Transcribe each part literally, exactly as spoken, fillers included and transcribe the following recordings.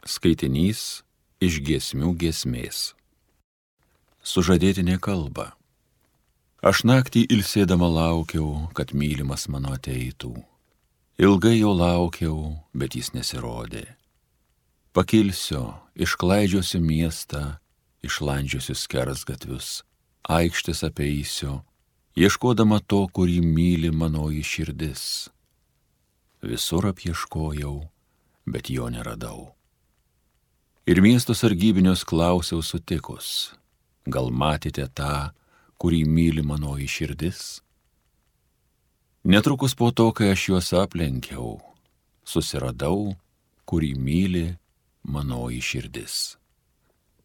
Skaitinys iš giesmių giesmės. Sužadėtinė kalba. Aš naktį ilsėdama laukiau, kad mylimas mano ateitų. Ilgai jo laukiau, bet jis nesirodė. Pakilsiu, išklaidžiosiu miestą, išlandžiosiu skersgatvius, aikštės apeisiu, ieškodama to, kurį myli manoji širdis. Visur apieškojau, bet jo neradau. Ir miesto sargybinius klausiau sutikus, gal matėte tą, kurį myli manoji širdis? Netrukus po to, kai aš juos aplenkiau, susiradau, kurį myli manoji širdis.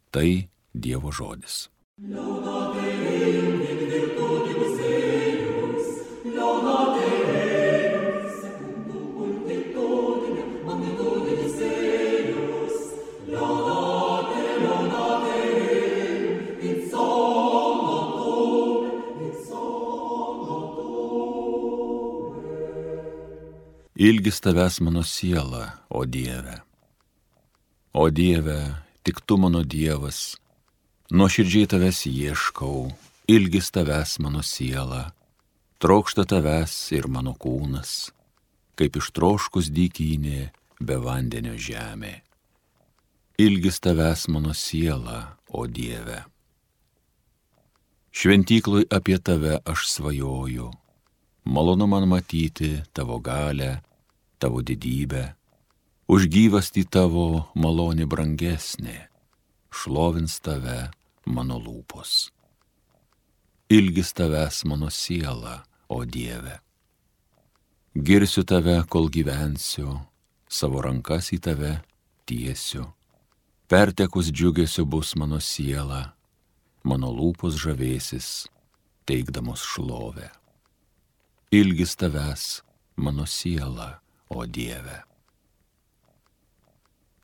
Tai Dievo žodis. Ilgis tavęs mano siela, o Dieve. O Dieve, tik tu mano Dievas, nuoširdžiai tavęs ieškau, ilgis tavęs mano siela, trokšta tavęs ir mano kūnas, kaip ištroškus dykynė be vandenio žemė. Ilgis tavęs mano siela, o Dieve. Šventykloj apie tave aš svajoju, malonu man matyti tavo galę, tavo didybę, už gyvastį tavo malonė brangesnė, šlovins tave mano lūpos. Ilgis tavęs mano siela, o Dieve. Girsiu tave, kol gyvensiu, savo rankas į tave tiesiu. Pertekus džiugesio bus mano siela, mano lūpos žavėsis, teikdamos šlovę. Ilgis tavęs mano siela, o Dieve.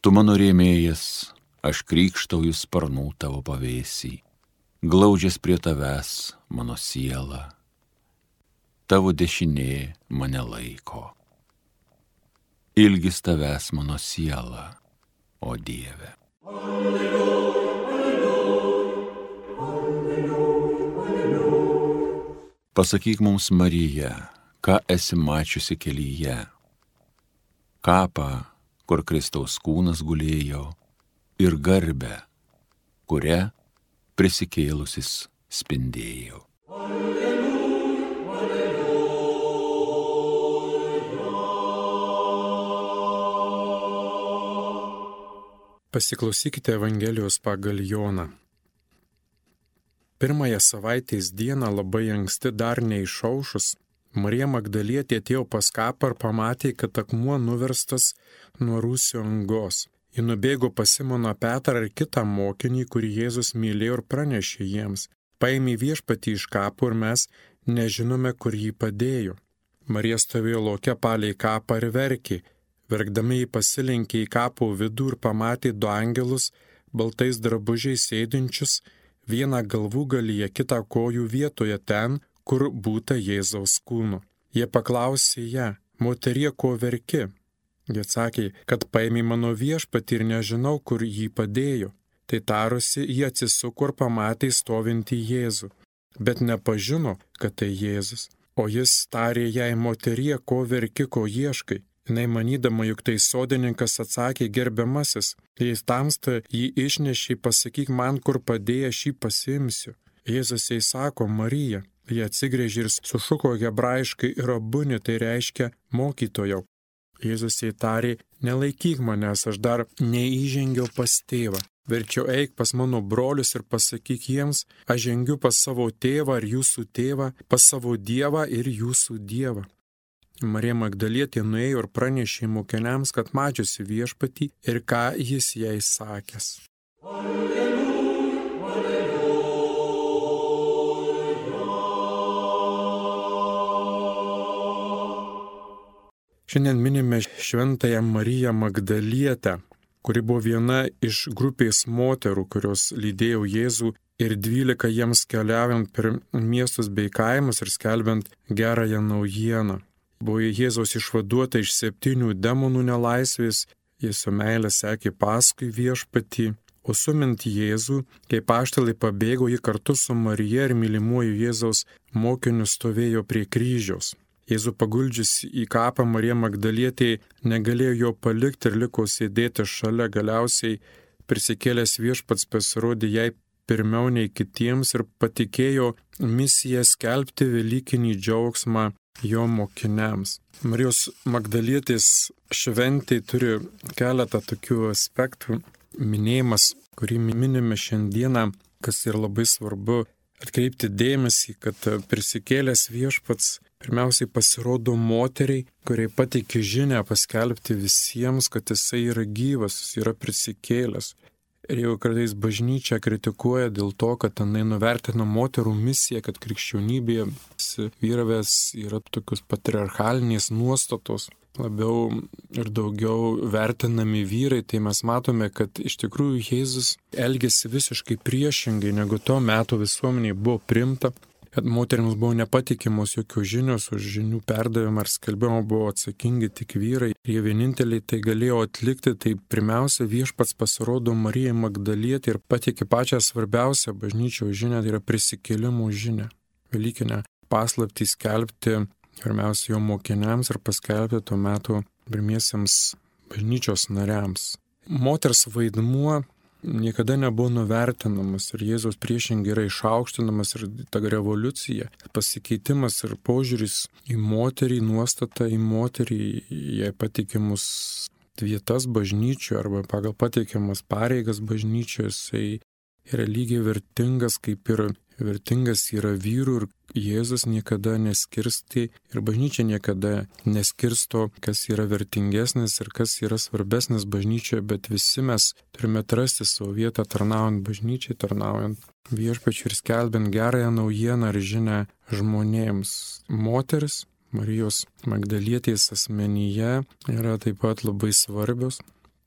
Tu mano rėmėjas, aš krykštauju sparnų tavo pavėsį, glaudžias prie tavęs mano siela, tavo dešinė mane laiko. Ilgis tavęs mano siela, o Dieve. Alleluja, alleluja, alleluja, alleluja. Pasakyk mums, Marija, ką esi mačiusi kelyje, kapą, kur Kristaus kūnas gulėjo, ir garbę, kuria prisikėlusis spindėjo. Alleluja, alleluja. Pasiklausykite Evangelijos pagal Joną. Pirmąją savaitės dieną labai anksti dar neišaušus, Marija Magdalietė atėjo pas kapą ir pamatė, kad akmuo nuverstas nuo rūsio angos. Ji nubėgo pas Simoną Petrą ir kitą mokinį, kurį Jėzus mylėjo, ir pranešė jiems: paėmė viešpatį iš kapo ir mes nežinome, kur jį padėjo. Marija stovėjo lauke palei kapą ir verkė. Verkdami jį pasilenkė į kapo vidų ir pamatė du angelus baltais drabužiais sėdinčius, vieną galvūgalyje, kitą kojų vietoje ten, kur būta Jėzaus kūno. Jie paklausė ją: moterie, ko verki? Jie atsakė, kad paėmė mano viešpatį ir nežinau, kur jį padėjo. Tai tarusi, jie atsisuko ir pamatė stovintį Jėzų, bet nepažino, kad tai Jėzus. O jis tarė jai: moterie, ko verki, ko ieškai? Jinai manydama, juk tai sodininkas, atsakė: gerbiamasis, jei tamsta jį išnešė, pasakyk man, kur padėjęs jį pasiimsiu. Jėzus jai sako: Marija. Jie atsigręžė ir sušuko hebrajiškai rabuni, tai reiškia mokytojau. Jėzus jai tarė: nelaikyk manęs, aš dar neįžengiau pas tėvą. Verčiau eik pas mano brolius ir pasakyk jiems: aš žengiu pas savo tėvą ir jūsų tėvą, pas savo Dievą ir jūsų Dievą. Marija Magdalietė nuėjo ir pranešė mokiniams, kad mačiusi viešpatį ir ką jis jai sakęs. Alleluja, alleluja. Šiandien minime šventąją Mariją Magdalietę, kuri buvo viena iš grupės moterų, kurios lydėjo Jėzų ir dvylika jiems keliaujant per miestus bei kaimus ir skelbiant gerąją naujieną. Buvo Jėzaus išvaduota iš septynių demonų nelaisvės, jie su meilė sekė paskui viešpatį, o sumint Jėzų, kai apaštalai pabėgo, ji kartu su Marija ir mylimuoju Jėzaus mokiniu stovėjo prie kryžiaus. Jėzų paguldžius į kapą, Marija Magdalietė negalėjo jo palikti ir liko sėdėti šalia. Galiausiai prisikėlęs viešpats pasirodė jai pirmiau nei kitiems ir patikėjo misiją skelbti velykinį džiaugsmą jo mokiniams. Marijos Magdalietės šventė turi keletą tokių aspektų. Minėjimas, kurį minime šiandieną, kas yra labai svarbu atkreipti dėmesį, kad prisikėlęs viešpats pirmiausiai pasirodo moteriai, kuriai pateikė žinią paskelbti visiems, kad jisai yra gyvas, jis yra prisikėlęs. Ir jau kartais bažnyčia kritikuoja dėl to, kad tenai nuvertina moterų misiją, kad krikščionybėje vyravės yra tokios patriarchalinės nuostatos, labiau ir daugiau vertinami vyrai, tai mes matome, kad iš tikrųjų Jėzus elgėsi visiškai priešingai, negu to meto visuomeniai buvo priimta, kad moteriams buvo nepatikimos jokios žinios, už žinių perdavimą ar skelbimą buvo atsakingi tik vyrai. Jie vieninteliai tai galėjo atlikti, tai pirmiausia viešpats pasirodo Marijai Magdalietei ir pateikė pačią svarbiausią bažnyčios žinią, tai yra prisikėlimo žinią, velykinę paslaptį skelbti pirmiausia jo mokiniams ir paskelbti tuo metu pirmiesiems bažnyčios nariams. Moters vaidmuo niekada nebuvo nuvertinamas ir Jėzaus priešingai yra išaukštinamas ir ta revoliucija, pasikeitimas ir požiūris į moterį, nuostata į moterį, jai patikimus vietas bažnyčioje arba pagal patikiamas pareigas bažnyčioje, jisai yra lygiai vertingas, kaip ir vertingas yra vyrų ir Jėzus niekada neskirsti ir bažnyčia niekada neskirsto, kas yra vertingesnis ir kas yra svarbesnis bažnyčioje, bet visi mes turime atrasti savo vietą tarnaujant bažnyčiai, tarnaujant viešpačiui ir skelbiant gerąją naujieną ir žinią žmonėms. Moteris Marijos Magdalietės asmenyje yra taip pat labai svarbios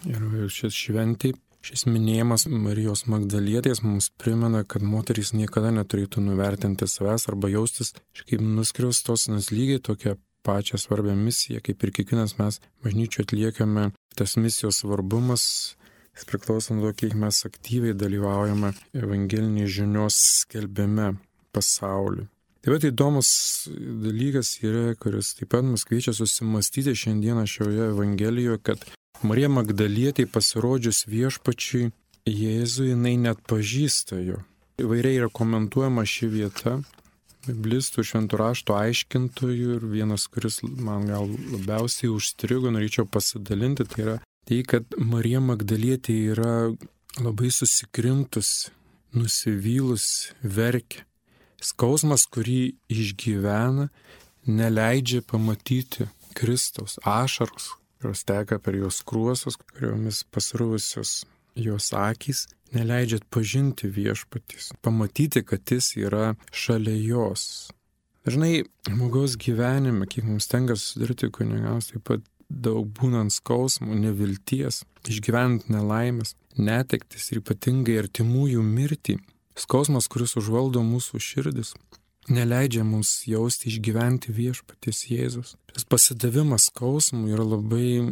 ir šis šventė. Šis minėjimas Marijos Magdalietės mums primena, kad moterys niekada neturėtų nuvertinti savęs arba jaustis kaip nuskriaustos, nes lygiai tokią pačią svarbią misiją, kaip ir kiekvienas mes bažnyčioje atliekame. Tas misijos svarbumas priklauso nuo to, kiek mes aktyviai dalyvaujame evangelinės žinios skelbime pasauliui. Taip pat įdomus dalykas yra, kuris taip pat mus kviečia susimastyti šiandieną šioje evangelijoje, kad Marija Magdalietė pasirodžius viešpačiui Jėzui, jinai net pažįsta jo. Įvairiai yra komentuojama ši vieta, biblistų, šventų rašto aiškintojų ir vienas, kuris man gal labiausiai užstrigo, norėčiau pasidalinti, tai yra tai, kad Marija Magdalietė yra labai susikrimtus, nusivylus, verkia. Skausmas, kurį išgyvena, neleidžia pamatyti Kristaus, ašaros, kurios teka per jos skruostus, kuriomis pasruvusios jos akys, neleidžia atpažinti viešpaties, pamatyti, kad jis yra šalia jos. Dažnai žmogaus gyvenime, kiek mums tenka susidurti kunigams, taip pat daug būnant skausmų, nevilties, išgyvenant nelaimės, netektis ir ypatingai artimųjų mirtį, skausmas, kuris užvaldo mūsų širdis, neleidžia mums jausti, išgyventi viešpaties Jėzus. Tas pasidavimas skausmui yra labai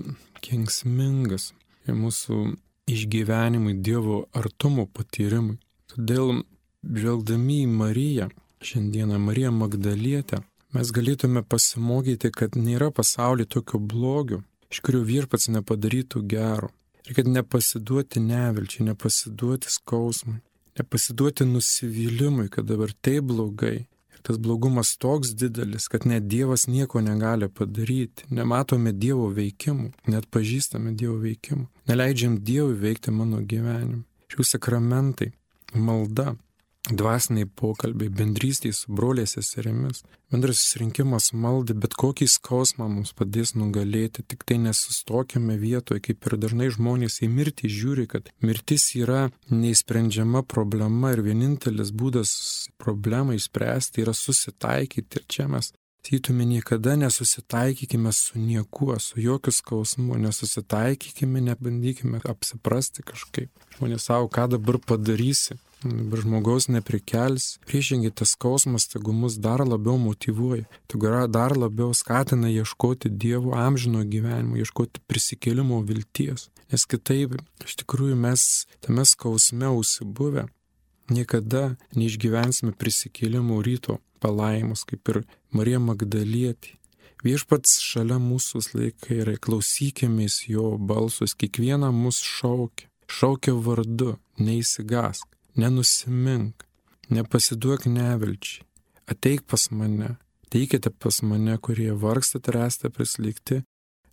kenksmingas ir mūsų išgyvenimui, Dievo artumo patyrimui. Todėl, žvelgdami į Mariją, šiandieną Mariją Magdalietę, mes galėtume pasimokyti, kad nėra pasaulyje tokio blogio, iš kurio viešpats nepadarytų gero. Ir kad nepasiduoti nevilčiai, nepasiduoti skausmui, nepasiduoti nusivylimui, kad dabar taip blogai. Tas blogumas toks didelis, kad net Dievas nieko negali padaryti. Nematome Dievo veikimų, net pažįstame Dievo veikimų. Neleidžiam Dievui veikti mano gyvenimą. Šių sakramentai, malda, dvasiniai pokalbiai, bendrystė su broliais seserimis, bendras susirinkimas maldai, bet kokį skausmą mums padės nugalėti, tik tai nesustokime vietoje, kaip ir dažnai žmonės į mirtį žiūri, kad mirtis yra neįsprendžiama problema ir vienintelis būdas problemą išspręsti yra susitaikyti. Ir čia mes sakytume, niekada nesusitaikykime su niekuo, su jokiu skausmu, nesusitaikykime, nebandykime apsiprasti kažkaip. Žmonės savo, ką dabar padarysi, dabar žmogaus neprikels. Priešingai, tas skausmas, tegu mus dar labiau motyvuoja, tegu dar labiau skatina ieškoti Dievo amžino gyvenimo, ieškoti prisikėlimo vilties. Nes kitaip, iš tikrųjų, mes tame skausme užsibuvę niekada neišgyvensime prisikėlimo ryto palaimus, kaip ir Marija Magdalietė. Viešpats šalia mūsų laikai yra, klausykimės jo balsus, kiekvieną mus šaukia, šaukia vardu, neįsigask, nenusimink, nepasiduok nevilčiai, ateik pas mane, teikite pas mane, kurie vargstate ir esate prislėgti,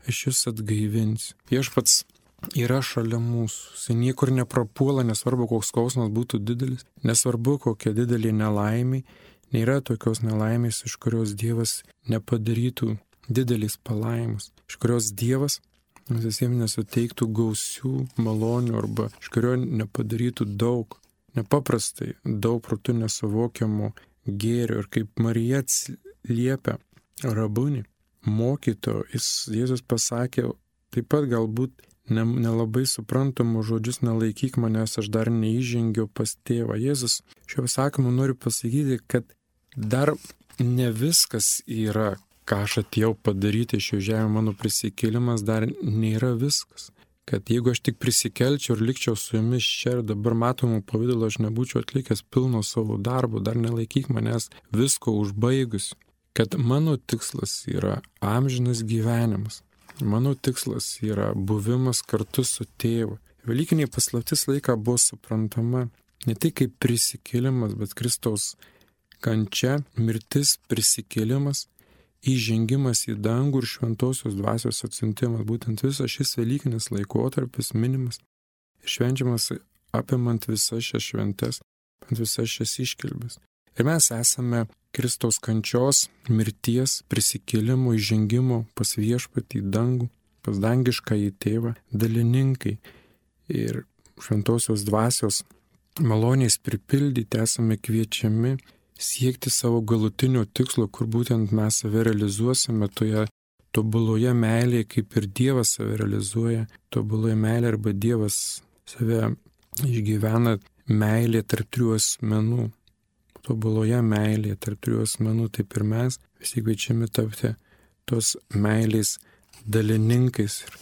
aš jūs atgaivinsiu. Viešpats yra šalia mūsų, jis niekur neprapuola, nesvarbu, koks skausmas būtų didelis, nesvarbu, kokia didelė nelaimė. Nėra tokios nelaimės, iš kurios Dievas nepadarytų didelis palaimus, iš kurios Dievas visiems nesuteiktų gausių malonių arba iš kurio nepadarytų daug, nepaprastai daug protu nesuvokiamų gėrių. Ir kaip Marija liepia rabunį, mokytojo, Jėzus pasakė taip pat galbūt nelabai suprantamus žodžius, nelaikyk manęs, aš dar neįžengiau pas tėvą. Jėzus šiuo pasakymu nori pasakyti, kad dar ne viskas yra, ką aš atėjau padaryti šio žemė, mano prisikėlimas dar nėra viskas. Kad jeigu aš tik prisikelčiau ir likčiau su jumis čia ir dabar matomų pavidalų, aš nebūčiau atlikęs pilno savo darbo, dar nelaikyk manęs visko užbaigus. Kad mano tikslas yra amžinas gyvenimas. Mano tikslas yra buvimas kartu su tėvu. Velykiniai paslaptis laiką buvo suprantama ne tik kaip prisikėlimas, bet Kristaus kančia, mirtis, prisikėlimas, įžengimas į dangų ir šventosios dvasios atsiuntimas. Būtent visas šis velykinis laikotarpis minimas ir švenčiamas apimant visas šias šventes, apimant visas šias iškilmes. Ir mes esame Kristaus kančios, mirties, prisikėlimo, įžengimo pas viešpatį į dangų, pas dangišką į tėvą, dalininkai. Ir šventosios dvasios maloniais pripildyti esame kviečiami siekti savo galutinio tikslo, kur būtent mes save realizuosime toje tobuloje meilėje, kaip ir Dievas save realizuoja, tobuloje meilėje arba Dievas save išgyvena meilė tarp trijų asmenų. Tobuloje meilėje tarp trijų asmenų, taip ir mes visi kviečiami tapti tos meilės dalininkais ir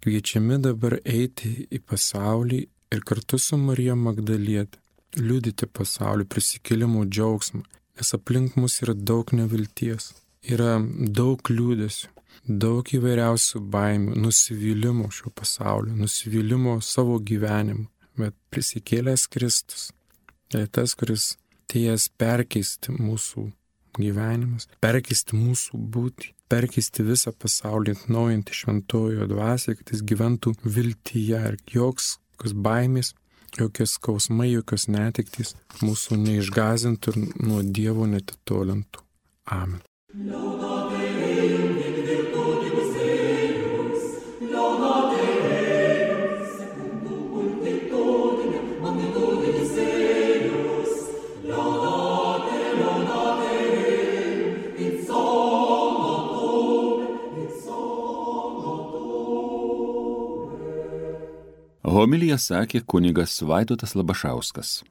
kviečiami dabar eiti į pasaulį ir kartu su Marija Magdaliete liudyti pasaulį prisikėlimo džiaugsmą, nes aplink mus yra daug nevilties, yra daug liūdesių, daug įvairiausių baimių, nusivylimo šio pasaulio, nusivylimo savo gyvenimu, bet prisikėlęs Kristus yra tas, kuris atėjęs perkeisti mūsų gyvenimus, perkeisti mūsų būtį, perkeisti visą pasaulį, atnaujinti šventojo dvasią, kad jis gyventų viltyje ir joks baimės, jokios skausmai, jokios netektys mūsų neišgąsdintų ir nuo Dievo netitolintų. Amen. Homiliją sakė kunigas Vaidotas Labašauskas.